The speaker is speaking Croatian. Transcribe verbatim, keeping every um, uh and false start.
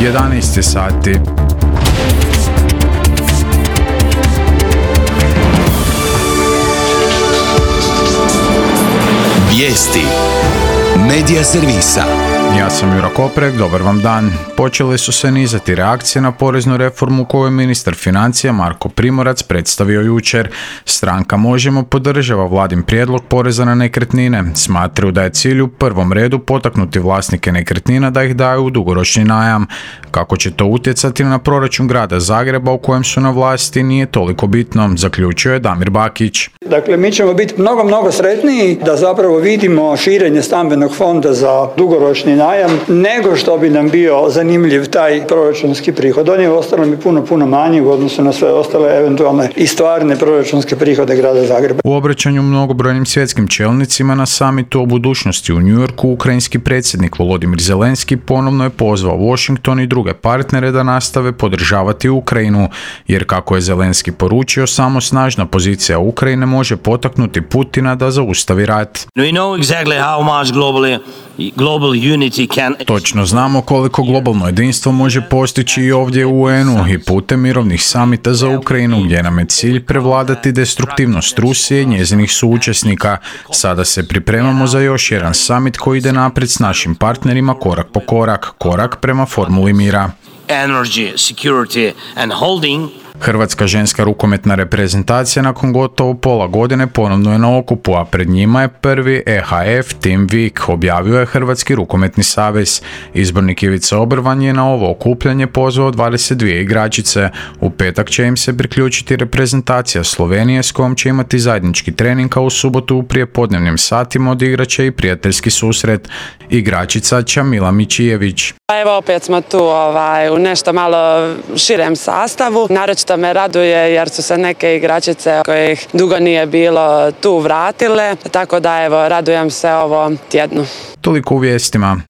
jedanaest sati. Vijesti Medija servisa. Ja sam Jura Koprek, dobar vam dan. Počele su se nizati reakcije na poreznu reformu koju je ministar financija Marko Primorac predstavio jučer. Stranka Možemo podržava vladin prijedlog poreza na nekretnine. Smatraju da je cilj u prvom redu potaknuti vlasnike nekretnina da ih daju u dugoročni najam. Kako će to utjecati na proračun grada Zagreba u kojem su na vlasti nije toliko bitno, zaključio je Damir Bakić. Dakle, mi ćemo biti mnogo, mnogo sretniji da zapravo vidimo širenje stambenog fonda za dugoročni najam, nego što bi nam bio zanimljiv taj proračunski prihod. On je ostalo mi puno, puno manji u odnosu na sve ostale eventualne i stvarne proračunske prihode grada Zagreba. U obraćanju mnogobrojnim svjetskim čelnicima na samitu o budućnosti u New Yorku, ukrajinski predsjednik Volodimir Zelenski ponovno je pozvao Washington i druge partnere da nastave podržavati Ukrajinu, jer kako je Zelenski poručio, samo snažna pozicija Ukrajine može potaknuti Putina da zaustavi rat. We know exactly how much globally global unity can... Točno znamo koliko globalno jedinstvo može postići i ovdje u U N-u i putem mirovnih samita za Ukrajinu, gdje nam je cilj prevladati destruktivnost Rusije i njezinih suučesnika. Sada se pripremamo za još jedan samit koji ide naprijed s našim partnerima korak po korak, korak prema formuli mira. Energy, security and holding. Hrvatska ženska rukometna reprezentacija nakon gotovo pola godine ponovno je na okupu, a pred njima je prvi E H F Team Week, objavio je Hrvatski rukometni savez. Izbornik Ivica Obrvan je na ovo okupljanje pozvao dvadeset dvije igračice. U petak će im se priključiti reprezentacija Slovenije s kojom će imati zajednički trening, a u subotu u prijepodnevnim satima odigrat će i prijateljski susret. Igračica Čamila Mičijević. Evo opet smo tu ovaj, u nešto malo širem sastavu. Naročito me raduje jer su se neke igračice kojih dugo nije bilo tu vratile, tako da evo radujem se ovom tjednu. Toliko u vijestima.